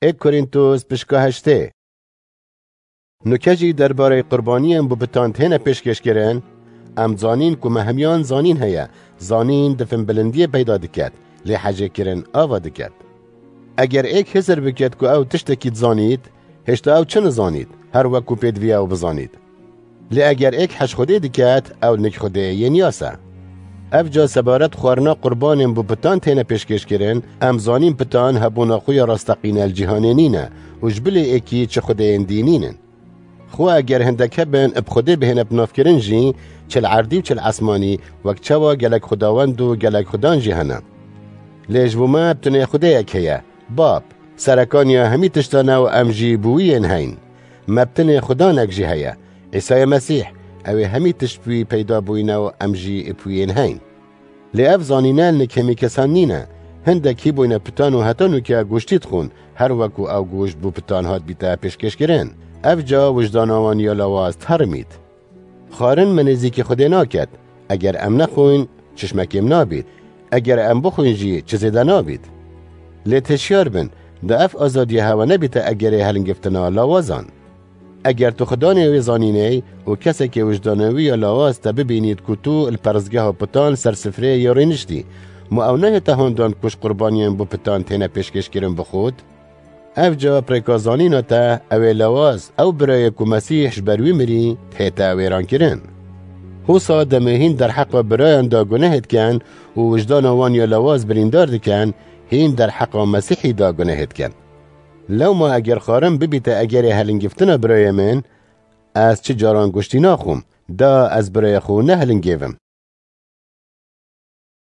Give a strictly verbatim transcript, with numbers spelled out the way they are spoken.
Ê Korîntos pişka heştê. Nuke jî derbarê qurbaniyên bi pitan têne pêşkêşkirin, em zanîn ku me hemiyan zanîn heye, zanîn di finbilindiyê peyda diket, lê hejêkirin ava diket. Eger êk hizir biket ku ew tiştekî dizanît, hêşta ew çi nizanît, her wek ku pêdivî ew bizanît. Lê eger êk hej Xwedê diket, ew nik Xwedê yên yas e. Ev ca sebaret xwarina qurbanên bi pitan têne pêşkêşkirin, em zanîn pitan hebûna xwe ya rasteqîne li cîhanê nîne û ji bilê êkî çi xwedeyên dî nînin. Xwe eger hindek hebin bi Xwedê bihêne binavkirin jî, çi li erdî û çi li esmanî, wek çawa gelek xwedawend û gelek xudan jî hene. Lê ji bo me bi tinê Xwedêyek heye, Bab, serekaniya hemî tiştan e û em jî bi wî yên heyn. Me bi tinê Xudanek jî heye, Îsayê Mesîh, ew ê hemî tişt bi wî peyda bûyne û em jî bi wî yên heyn. Lê ev zanîne li nik hemî kesan nîne. Hindek hî bûyne pitan û heta nûke goştî dixwin, her wek ku ew goşt bo pitan hat bîte pêşkêşkirin. Ev ca wijdana wan ya lawaz terimît. Xwarin me nêzîkî Xwedê naket. Eger em nexwin, çişmekê min nabît. Eger em bixwin jî, çi zêde nabît. Lê têşiyar bin, da ev azadiya hewe nebîte egerê helingiftina lawazan. Eger tu Xudanê wê zanîney û kesekê wijdanê wî ya lawaz te bibînît ku tu li perestgeha pitan ser sifreyê ya rêniştî, ma ew nehête handan ku ji qurbaniyên bo pitan têne pêşkêşkirin bi Xwed? Ev ca bi rêka zanîna te, ew ê lawaz, ew birayê ku Mesîh ji ber wî mirî, dihête wêrankirin. Hosa demê hîn derheqa birayan de gunehê dikin û wijdana wan ya lawaz birîndar dikin, hîn derheqa Mesîhî de gunehê dikin. Lewma eger xwarin bibîte egerê helingiftina birayê min, ez çi caran goştî naxwim, da ez birayê xwe nehilingêvim.